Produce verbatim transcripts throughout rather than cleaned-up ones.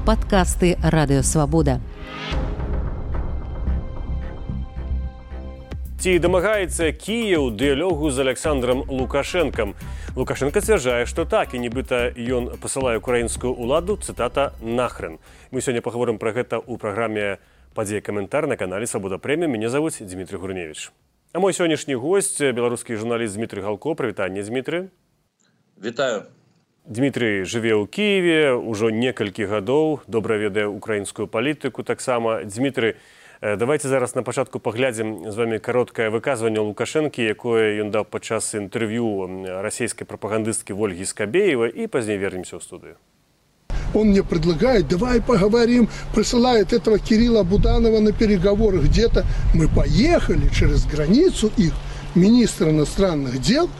Падкасты Радыёвабода. Ці дамагаецца Кіеў дыялогу з Александром Лукашэнкам? Лукашенко сцвярджае, што так, і нібыта ён пасылае украінскую ўладу, цытата, «нахрен». Мы сёння паговорым пра гэта ў праграме «Падзея каментар» на канале «Свабода Прэміум». Мяне завуць Дмітрий Гурневич. А мой сённяшні госць, беларускі журналіст Дмітрий Галко. Прывітанне, Дмітрий. Вітаю. Дмітрий жыве ў Кіеве ўжо некалькі гадоў, добра ведае украінскую палітыку таксама. Дмітрий, давайте зараз на пачатку паглядзім з вами кароткае выказванне Лукашэнкі, якое ён даў падчас інтэрв'ю расійскай прапагандысткі Ольгі Скабеевой, и позднее вернемся в студию. Он мне предлагает, давай поговорим, присылает этого Кирилла Буданова на переговоры где-то. Мы поехали через границу, их министр иностранных дел,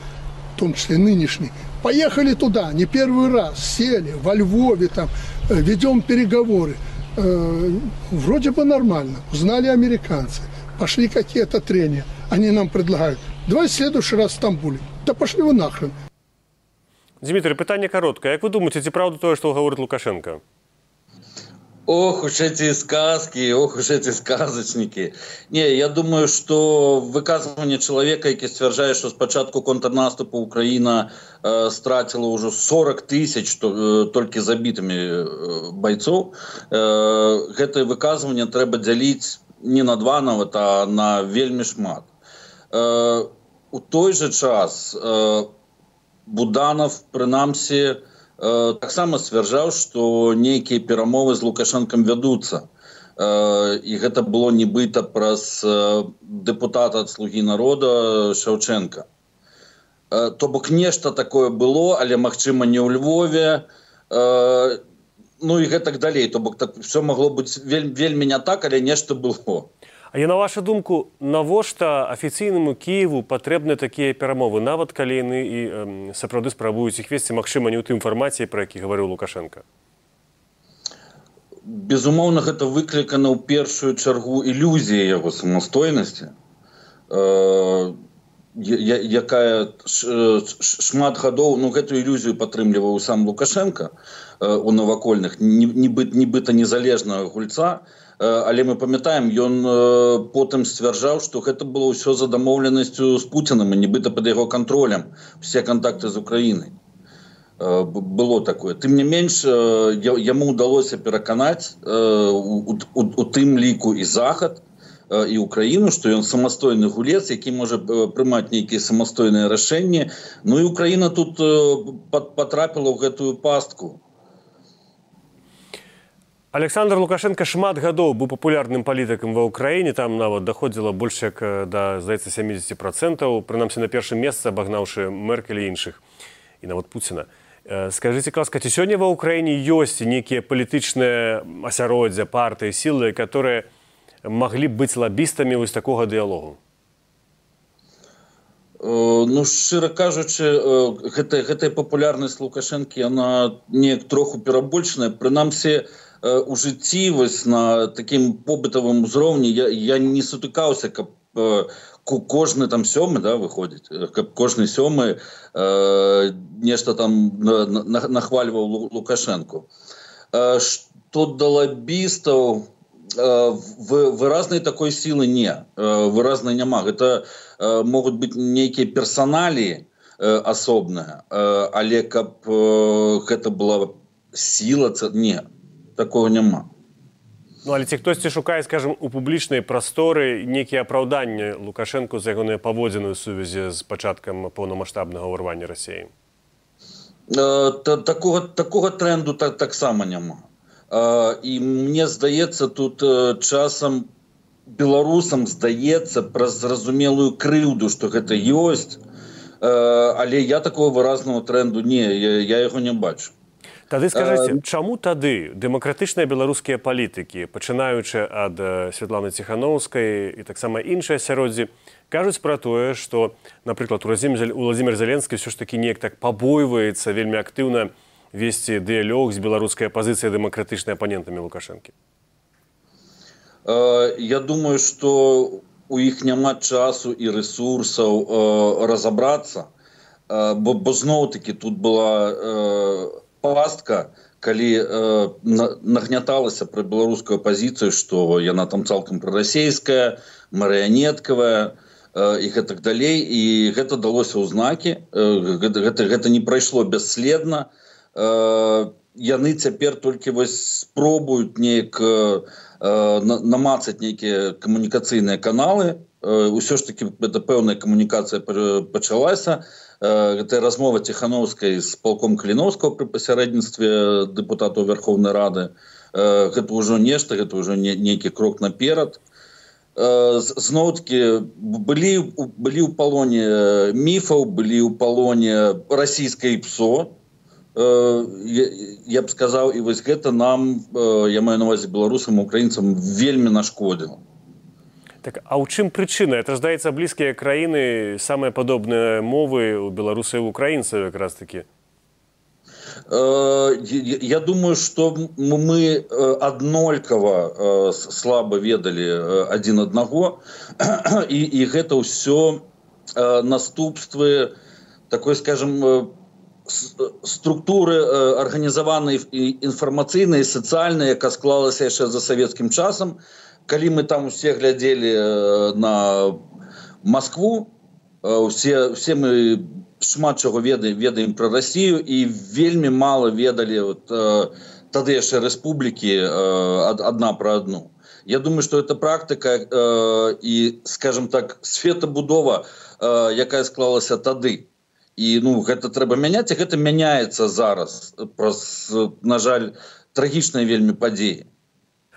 в том числе нынешний, поехали туда, не первый раз, сели во Львове, там, ведем переговоры. Э, вроде бы нормально, узнали американцы, пошли какие-то трения. Они нам предлагают, давай в следующий раз в Стамбуле. Да пошли вы нахрен. Дмитрий, питание короткое. Как вы думаете, это правда то, что говорит Лукашенко? Ох уж эти сказки, ох уж эти сказочники. Не, я думаю, что выказывание человека, который стверджает, что с початку контрнаступу Украина э, стратила уже сорок тысяч э, только забитыми э, бойцов, э, это выказывание треба делить не на два нават, а на вельми шмат. Э, у той же час э, Буданов, принамсі, Э, таксама сцвярджаў, што нейкія перамовы з Лукашэнкам вядуцца. Э, і гэта было нібыта праз э, дэпутата ад «Слугі народа» Шаўчэнка. Э, то бок нешта такое было, але магчыма не ў Львове, э, ну і гэтак далей. То бок так, все магло быць вель, вельмі не так, але нешта было. А я на вашу думку, навошта афіцыйнаму Кіеву патрэбны такія перамовы, нават калі яны і э, сапраўды спрабуюць іх весці, магчыма, не ў тым фармаце, пра які гаварыў Лукашенко? Безумоўна, гэта выклікана ў першую чаргу ілюзія яго самастойнасці, э, якая шмат гадоў, ну, гэтую ілюзію падтрымліваў сам Лукашенко э, у навакольных, нібыта, нібыта незалежнага гульца. Але мы памятаем, ён потым сцвярджаў, што гэта было ўсё за дамоўленасцю з Пуціным і нібыта пад яго кантролем все кантакты з Украінай. Было такое. Тым не менш, яму ўдалося пераканаць у, у, у тым ліку і Захад, і Украіну, што ён самастойны гулец, які можа прымаць нейкія самастойныя рашэнні. Ну і Украіна тут патрапіла ў гэтую пастку. Александр Лукашенко шмат гадоў быў папулярным палітыкам ва ўкраіне, там нават даходзіла больш як да, здаецца, сямдзесят процентаў, прынамсі на першым месцы абагнаўшы Меркель і іншых, і нават Пуціна. Скажыце, ласка, ці сёння ва ўкраіне ёсць нейкія палітычныя асяроддзя, партыі, сілы, которые маглі б быць лабістамі вось такога дыялогу? Ну, шчыра кажучы, гэтая, гэтая папулярнасць Лукашэнкі, яна неяк троху перабольшаная, прынамсі, у жыцці вось на такім побытавым узроўні я, я не сутыкаўся, каб э, кожны там сёмы, да, выходзіць, каб кожны сёмы э, нешта там на, на, нахвальваў Лукашэнку. Э, што да лабістаў, э, выразнай такой сілы не, э, выразнай няма. Гэта э, могуць быць нейкія персаналіі э, асобныя, э, але каб э, гэта была сіла, не. Такого няма. Ну, але ці хтосьці шукае, скажем, у публічнай прасторы нейкія апраўданні Лукашэнку за ягоныя паводзіны ў сувязі з пачаткам поўнамаштабнага ўварвання Расіі? Э, та, такога, такога тренду так, таксама няма. Э, і мне здаецца, тут э, часам беларусам здаецца праз зразумелую крыўду, што гэта ёсць, э, але я такого выразнага тренду не, я, я яго не бачу. Тады скажыце, чаму тады дэмакратычныя беларускія палітыкі, пачынаючы ад Святланы Ціханаўскай і таксама іншыя асяроддзі, кажуць пра тое, што, напрыклад, Уладзімір Зеленскі ўсё ж такі неяк так пабойваецца вельмі актыўна весці дыялог з беларускай апазіцыяй дэмакратычнай апанентамі Лукашэнкі? Я думаю, што у іх няма часу і рэсурсаў разабрацца, бо, бо зноў-такі тут была пастка, калі э, нагняталася пра беларускую апазіцыю, што яна там цалкам прарасійская, марыянеткавая э, і гэтак далей, і гэта далося ў знакі, э, гэта, гэта, гэта не прайшло бясследна. Э, яны цяпер толькі вось спробуюць неяк э, намацаць нейкія камунікацыйныя каналы. Э, усё ж такі гэта пэўная камунікацыя пачалася. Гэта размова Ціхановскай з палком Каліноўскага пры пасярэдніцтве дэпутатаў Верховнай Рады. Гэта ўжо нешта, гэта ўжо не, нейкі крок наперад. Зноў-такі былі, былі ў палоне міфаў, былі ў палоне расійскае ПСО. Я, я б сказаў, і вось гэта нам, я маю на ўвазе беларусам, украінцам, вельмі нашкодзіла. Так, а ў чым прычына? Это, здаецца, блізкія краіны, самыя падобныя мовы у беларусаў і украінцаў якраз такі. Я думаю, што мы аднолькава слаба ведалі адзін аднаго, і, і гэта ўсё наступствы такой, скажем, структуры арганізаванай інфармацыйнай, сацыяльнай, яка склалася яшчэ за савецкім часам. Калі мы там усе глядзелі на Москву, усе, усе мы шмат чаго ведаем, ведаем пра Расію і вельмі мала ведалі вот, тады яшчэ рэспублікі адна пра адну. Я думаю, што гэта практыка і, скажем так, светабудова, якая склалася тады. І ну, гэта трэба мяняць, і гэта мяняецца зараз праз, на жаль, трагічныя вельмі падзеі.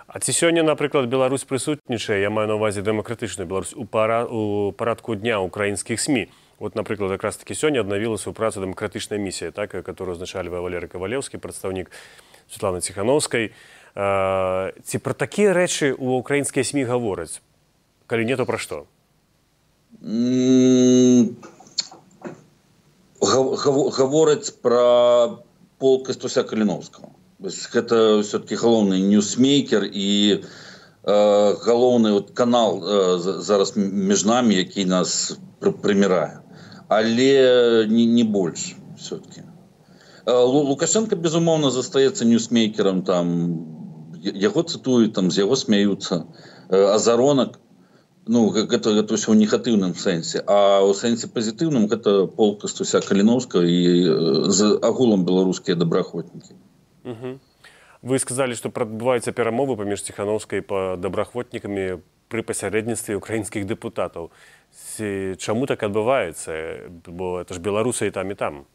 А ці сёння, напрыклад, Беларусь прысутнічае, я маю на ўвазе дэмакратычную Беларусь, у, пара, у парадку дня украінскіх СМІ. Вот, напрыклад, якраз такі сёння аднавілася ў працу дэмакратычная місія, так, которую узначальвае Валерый Кавалеўскі, прадстаўнік Светланы Ціхановскай. А, ці пра такія рэчы ў украінскія СМІ гавораць? Калі не, то пра што? Гавораць пра полк Кастуся Каліноўскага. Гэта все-таки галоўны ньюсмейкер і э, галоўны вот, канал э, зараз між намі, які нас пр прымірае. Але не, не больш все-таки. Э, Лукашенко, безумоўна, застаецца ньюсмейкерам, там, яго цытуюць, там, з яго смяюцца. Э, Азаронак, ну, гэта, гэта ўсё ў негатыўным сэнсе. А ў сэнсе пазітыўным гэта полк Кастуся Каліноўскага і э, з агулам беларускія добраахвотнікі. Угу. Вы сказалі, што адбываюцца перамовы паміж Ціхановскай па добраахвотнікамі пры пасярэдніцтве украінскіх дэпутатаў. Чаму так адбываецца? Бо это ж беларусы і там, і там.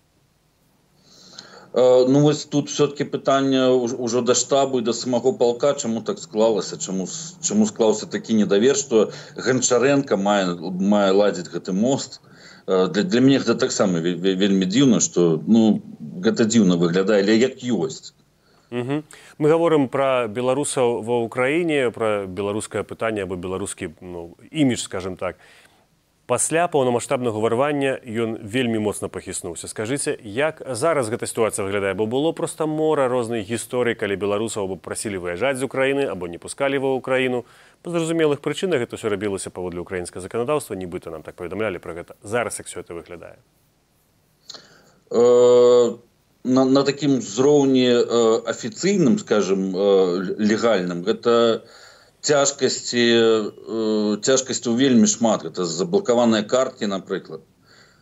Э, ну, вось тут все-таки пытанне ўжо да штабу і да самого полка, чаму так склалася, чаму, чаму склаўся такі недавер, што Ганчаренко мае, мае ладзіць гэты мост. Для, для мяне гэта таксама вельмі дзіўна, што ну, гэта дзіўна выглядае, але як ёсць. Угу. Мы гаворым пра беларусаў ва ўкраіне, пра беларускае пытанне або беларускі ну, імідж, скажем так. Пасля паўнамаштабнага ўварвання ён вельмі моцна пахіснуўся. Скажыце, як зараз гэта сітуацыя выглядае? Бо было проста мора рознай гісторый, калі беларусаў або прасілі выязджаць з Украіны, або не пускалі ва ўкраіну. Па зразумелых прычынах гэта ўсё рабілася паводле украінскага заканадаўства, нібыта нам так паведамлялі пра гэта. Зараз як все это выглядае? Uh... На, на такім узроўні э, афіцыйным, скажем, э, легальным, гэта цяжкасці, э, цяжкасцяў вельмі шмат. Гэта заблакаваныя карткі, напрыклад.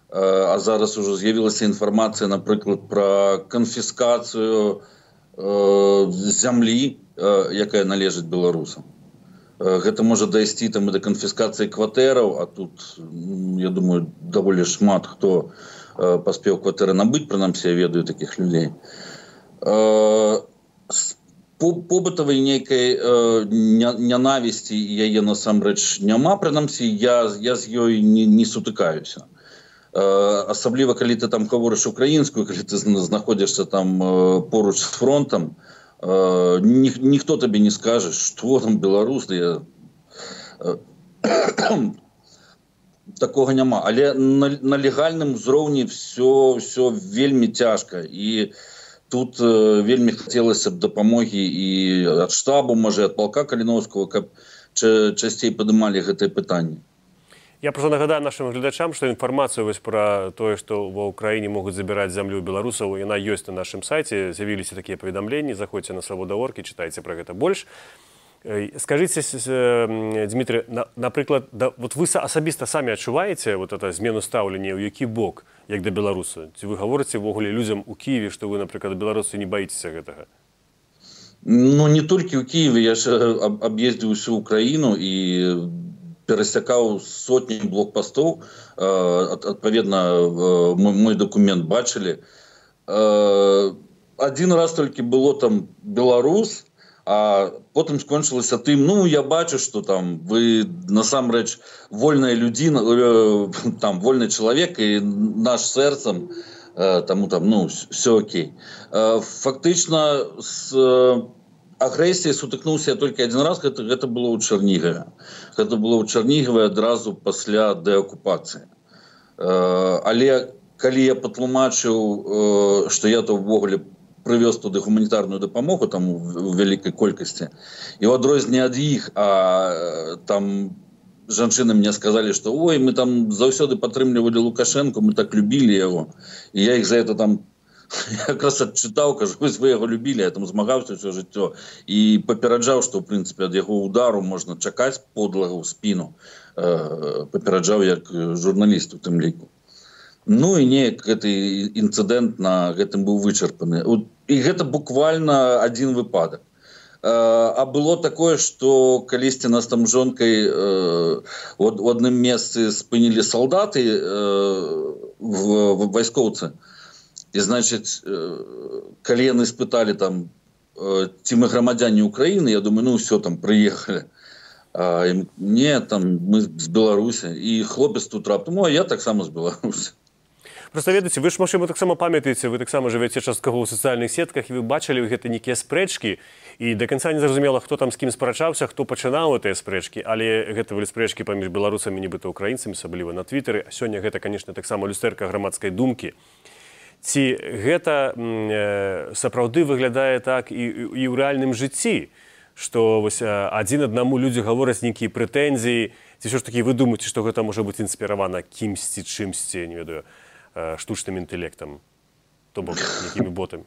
Э, а зараз ужо з'явілася інфармацыя, напрыклад, пра канфіскацыю э, зямлі, э, якая належыць беларусам. Э, гэта можа дайсці там і да канфіскацыі кватэраў, а тут, я думаю, даволі шмат хто паспеў кватэры набыць, прынамсі я ведаю такіх людзей. Побытавай нейкай нянавісці яе насамрэч няма, прынамсі я, я з ёй не, не сутыкаюся. Асабліва, калі ты там гаворыш украінскую, калі ты знаходзішся там поруч з фронтам, ні, ніхто табе не скажа, што там беларус, я... Такога няма, але на, на легальным узроўні все, все вельмі цяжка, і тут э, вельмі хацелася б дапамогі і ад штабу, можа, ад палка Каліноўскага, каб ча, часцей падымалі гэтае пытанне. Я просто нагадаю нашим глядачам, что информацию вось про то, что в Украине могут забирать землю у белорусов, она есть на нашем сайте. З'явились такие поведомления. Заходите на свобода точка орг и читайте про это больше. Скажите, Дмитрий, например, да, вот вы особисто сами отчуваете вот это змену ставлення, у який бок, як до белоруса? Вы говорите вогуле людям у Киеве, что вы, например, белорусы не боитесь этого? Ну, не только у Киева. Я же объездил всю Украину и пересекал сотни блокпостов. Отповедно, мой документ бачили. Один раз только было там белорус, а потом скончилося тим, ну, я бачу, что там вы насамрэч вольная людина, там, вольный человек, и наш сердцем, тому там, ну, все окей. Фактично, с агрессией сутыкнулся я только один раз, это, это было у Чернигове. Это было у Чернигове одразу після деокупації. Але коли я патлумачыў, что я то ввогуле привез туди гуманітарну допомогу там у великій кількості, і в адрозненні від їх, а там жанчыны мне сказали, что ой, мы там заўсёды падтрымлівалі Лукашенко, мы так любили его, и я их за это там якраз адчытаў, кажу, вы яго любили, я там змагаўся все жыццё і папераджаў, что в принципе ад яго удару можна чакаць подлага ў спину, папераджаў як журналіст у тым ліку. Ну і неяк гэты інцыдэнт на гэтым быў вычарпаны. І гэта буквально один выпадак. А было такое, что калісьці нас там жонкай у адным месцы спынілі салдаты, вайскоўцы. І, значит, калі яны спыталі там, ці мы грамадзяне Украины, я думаю, ну все, там приехали. А им, не, там мы з Беларусі. І хлопец тут раптам, ну а я так само з Беларусі. Просто ведаеце, вы ж, магчыма, таксама памятаеце, вы таксама жывяце часткова ў сацыяльных сетках, і вы бачылі гэта нейкія спрэчкі, і да канца не зразумела, хто там з кім спрачаўся, хто пачынаў гэтыя спрэчкі, але гэта былі спрэчкі паміж беларусамі, нібыта ўкраінцамі, асабліва на твітары. А сёння гэта, канешне, таксама люстэрка грамадскай думкі. Ці гэта э, сапраўды выглядае так і, і ў рэальным жыцці, што вось адзін аднаму людзі гавораць нейкія прэтэнзіі, ці ўсё ж такі вы думаеце, што гэта можа быць інспіравана кімсьці, чымсьці, не ведаю, штучным інтэлектам, то бок якімі ботамі?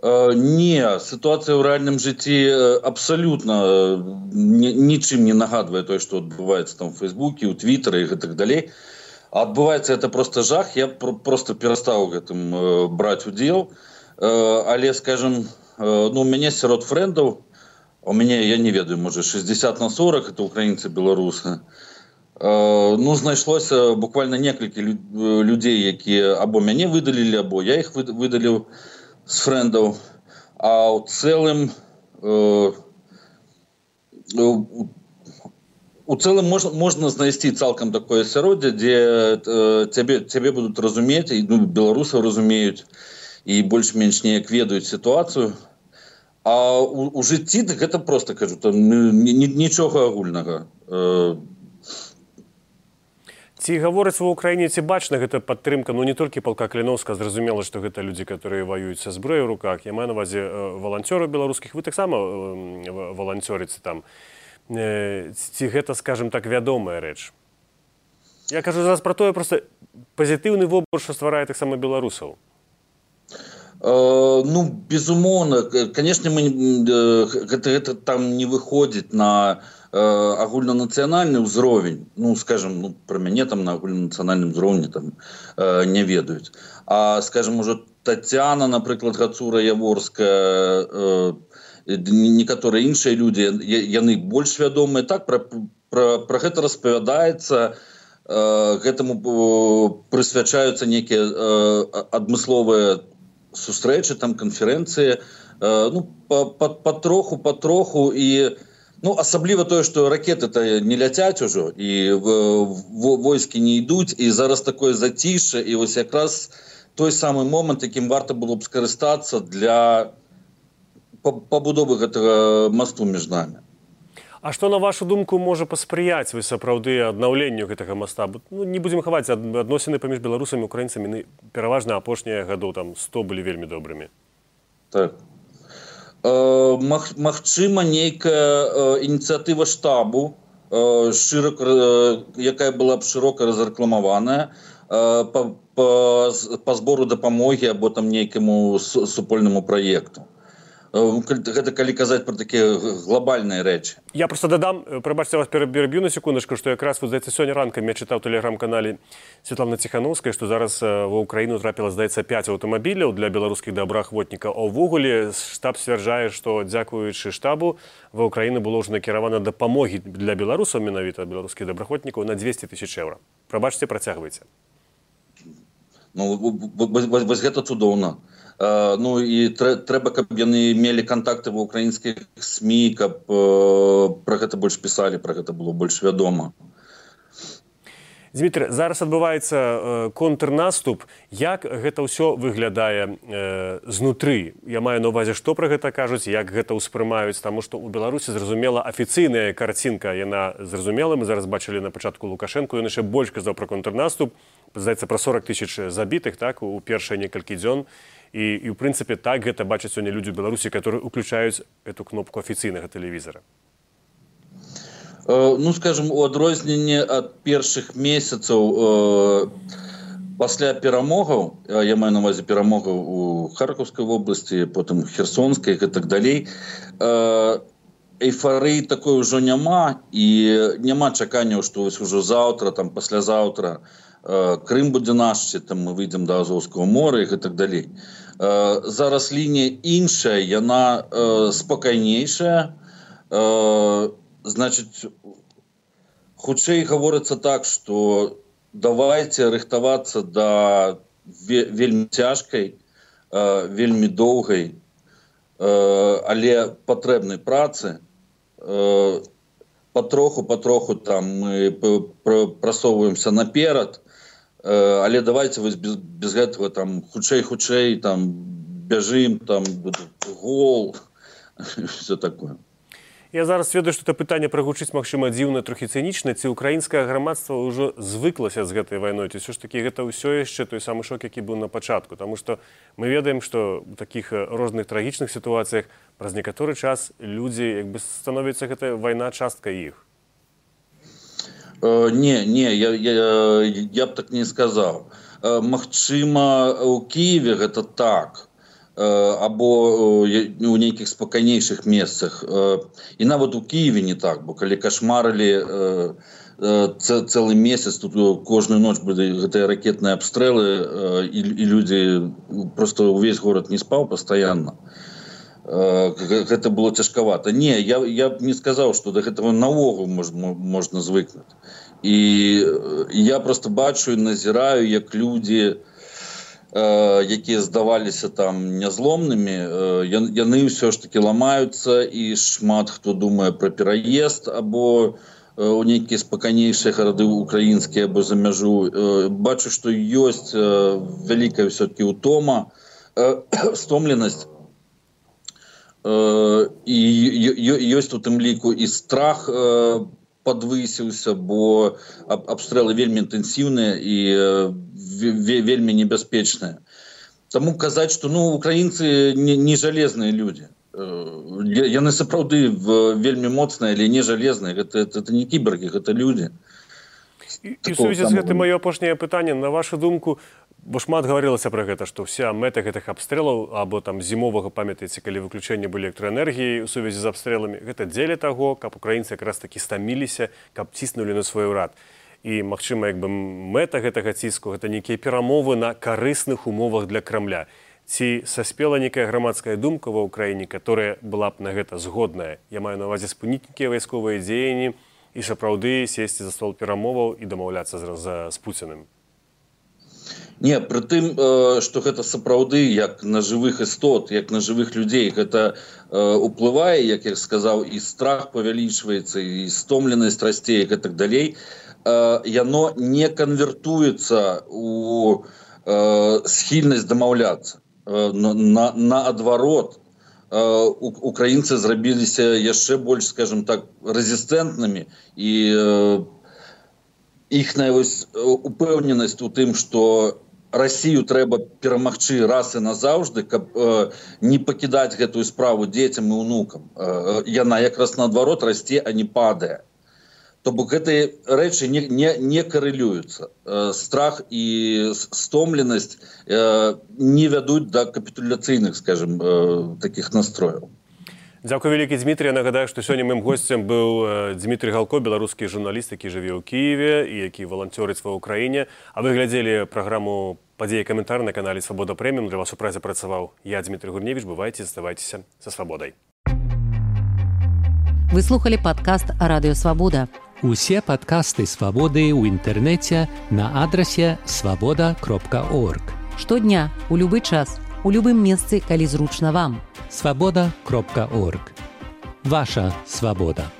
Не, ситуация в реальном житті абсолютно ничем не нагадывает то, что отбывается там в Фейсбуке, у Твиттера и так далее. А отбывается это просто жах. Я просто перестал этим брать удел. Але, скажем, ну, у меня сирот френдов, у меня, я не ведаю, может, шестьдесят на сорок, это украинцы, белорусы. Ну, знайшлося буквально некалькі людей, які або мяне выдалілі, або я іх выдаліў з фрэндаў. А ў цэлым у цэлым можна, можна знайсці цалкам такое асяроддзе, дзе цябе, цябе будуць разумець, і ну, беларусаў разумеюць, і больш-менш неяк ведаюць сітуацыю. А у, у жыцці гэта просто, кажу, там нічога агульнага. Ці гавораць ва ўкраіне, ці бачна гэта падтрымка, ну не толькі палка Кліновска, зразумела, што гэта людзі, которые воююць са зброяй у руках. Я маю на ўвазе валанцёраў беларускіх, вы таксама валанцёрыце там. Ці гэта, скажем так, вядомая рэч? Я кажу зараз пра тое, просто пазітыўны вобраз, што стварае таксама беларусаў. Ну, безумоўна, конечно, мы гэта, гэта там не выходзіць на агульнанацыянальны ўзровень, ну, скажем, ну, про мяне там на агульнанацыянальным узроўні там э, не ведаюць. А, скажем, уже Татьяна, напрыклад, Гацура Яворская, э, некаторыя іншыя людзі, яны больш вядомыя. Так, про, про, про гэта распавядаецца, э, гэтаму прысвячаюцца некія э, адмысловыя сустрэчы, там, канферэнцыі, э, ну, патроху, патроху, і ну, асабліва тое, што ракеты-то не ляцяць ужо, і войскі не ідуць, і зараз такое зацішша, і вось якраз той самы момант, якім варта было б скарыстацца для пабудовы гэтага масту між намі. А што, на вашу думку, можа паспрыяць вы сапраўды аднаўленню гэтага маста? Ну, не будзем хаваць, адносіны паміж беларусамі і украінцамі пераважна апошнія гадоў там сто былі вельмі добрымі. Так. Магчыма, нейкая ініцыятыва штабу широко, якая была б широка разрэкламаваная по, по, по збору дапамогі або там нейкаму супольнаму праекту. Гэта калі казаць пра такія глобальныя рэчы. Я просто дадам, прабачце, вас пераб'ю на секундачку, што якраз вот, здаецца, сёння ранкам я чытаў у тэлеграм-канале Святланы Ціхановскай, што зараз ва ўкраіну трапіла, здаецца, пяць аўтамабіляў для беларускіх добраахвотнікаў. А ўвогуле штаб сцвярджае, што дзякуючы штабу ва ўкраіну было ўжо накіравана дапамогі для беларусаў, менавіта беларускіх добраахвотнікаў, на дзвесце тысяч еўра. Прабачце, працягвайце. Ну, вось гэта цудоўна. Uh, ну і трэ, трэба, каб яны мелі контакты ва украінскіх СМІ, каб uh, пра гэта больш пісалі, пра гэта было больш вядома. Дмітрий, зараз адбываецца uh, контрнаступ. Як гэта ўсё выглядае uh, знутры? Я маю на ўвазе, што пра гэта кажуць, як гэта ўспрымаюць, таму што ў Беларусі, зразумела, афіцыйная карцінка, яна зразумела, мы зараз бачылі на пачатку Лукашэнку, ён яшчэ больш казаў пра контрнаступ, здаецца, пра сорок тысяч забітых, так, у першыя некалькі дзён. І, і, в принципе, так гэта бачаць сёння людзі ў Беларусі, которые уключаюць эту кнопку афіцыйнага тэлевізара. Uh, ну, скажем, у адрозненне ад першых месяцаў uh, пасля перамогаў, я маю на ўвазе перамогаў у Харкаўскай вобласці, потым Херсонскай і так далей, uh, эйфарыі такой ужо няма, і няма чаканняў, што вось ужо заўтра, там, паслязаўтра Крым будзе наш, там мы выйдзем да Азовскага мора і так далей. Зараз лінія іншая, яна спакайнейшая. Значыць, хутчэй гаворыцца так, што давайце рыхтавацца да вельмі цяжкай, вельмі доўгай, але патрэбнай працы. Патроху, патроху там мы прасоўваемся наперад, але давайте вось без, без гэтага там хутчэй-хутчэй там бяжым, там гол, все такое. Я зараз ведаю, што это пытанне прагучыць, магчыма, дзіўна, трохі цынічна, ці украінскае грамадства ўжо звыклася з гэтай вайной, ці ўсё ж такі гэта ўсё яшчэ той самы шок, які быў на пачатку, таму што мы ведаем, што ў такіх розных трагічных сітуацыях праз некаторы час людзі як бы становіцца гэтая вайна часткай іх. Uh, не, не, я, я, я б так не сказаў. Uh, магчыма, у Кіеве гэта так, uh, або uh, у нейкіх спакайнейшых месцах. Uh, і нават у Кіеве не так, бо калі кашмарылі uh, uh, цэлы месяц, тут кожную ноч былі гэтыя ракетныя абстрэлы, uh, і, і людзі, просто увесь горад не спаў пастаянна. Гэта было цяжкавата. Не, я, я б не сказаў, што да гэтага наогул можна, можна звыкнуць. І я просто бачу і назіраю, як людзі, э, якія здаваліся там нязломнымі, э, яны ўсё ж такі ламаюцца, і шмат хто думае пра пераезд або э, у нейкія спакайнейшыя гарады украінскія або за мяжу. Э, бачу, што ёсць э, вялікая ўсё-такі ўтома, э, стомленасць. І ёсць у тым ліку і страх падвысіўся, бо абстрэлы вельмі інтэнсіўныя і вельмі небяспечныя. Таму казаць, што ну, украінцы не, не жалезныя людзі. Яны сапраўды вельмі моцныя, але не жалезныя. Гэта, гэта не кібергі, гэта людзі. І, і ў сувязі з гэтым маё апошняе пытанне, на вашу думку, бо шмат гаварылася пра гэта, што вся мэта гэтых абстрэлаў або там зімовага, памятаеце, калі выключэнне былі электраэнергіі ў сувязі з абстрэламі, гэта дзеля таго, каб украінцы якраз такі стаміліся, каб ціснулі на свой урад. І, магчыма, як бы мэта гэтага ціску, гэта нейкія перамовы на карысных умовах для Крамля. Ці саспела нейкая грамадская думка ва ўкраіне, которая была б на гэта згодная? Я маю на ўвазе спыніць нейкія вайсковыя дзеянні і сапраўды сесці за стол перамоваў і дамаўляцца з, з, з Пуціным. Не, пры тым, што гэта сапраўды як на жывых істот, як на жывых людзей, гэта уплывае, як я сказаў, і страх павялічваецца, і стомленасць расце, і так далей. Яно не канвертуецца у схільнасць дамаўляцца. На, наадварот, украінцы зрабіліся яшчэ больш, скажем так, рэзістэнтнымі, і іхная упэўненасць у тым, што Расію трэба перамагчы раз і назаўжды, каб э, не пакідаць гэтую справу дзецям і ўнукам. Э, яна якраз наадварот расце, а не падае. То бок гэтыя рэчы не, не, не карэлююцца. Страх і стомленасць не вядуць да капітуляцыйных, скажем, такіх настрояў. Дзякуй вялікі, Дмітрий. Я нагадаю, што сёння маім госцем быў Дмітрий Галко, беларускі журналіст, які жыве ў Кіеве і які валанцёрыць ва ўкраіне. А вы глядзелі праграму «Падзеі і каментар» на канале «Свабода Прэміум». Для вас у празе працаваў я, Дмітрий Гурневіч. Бывайце, заставайцеся са свабодай. Вы слухали падкаст «Радыё Свабода». Усе падкасты «Свабоды» ў інтэрнэце на адрасе свабода кропка орг. Штодня, у любы час, у любым месцы, калі зручна вам. свабода кропка орг. Ваша свабода.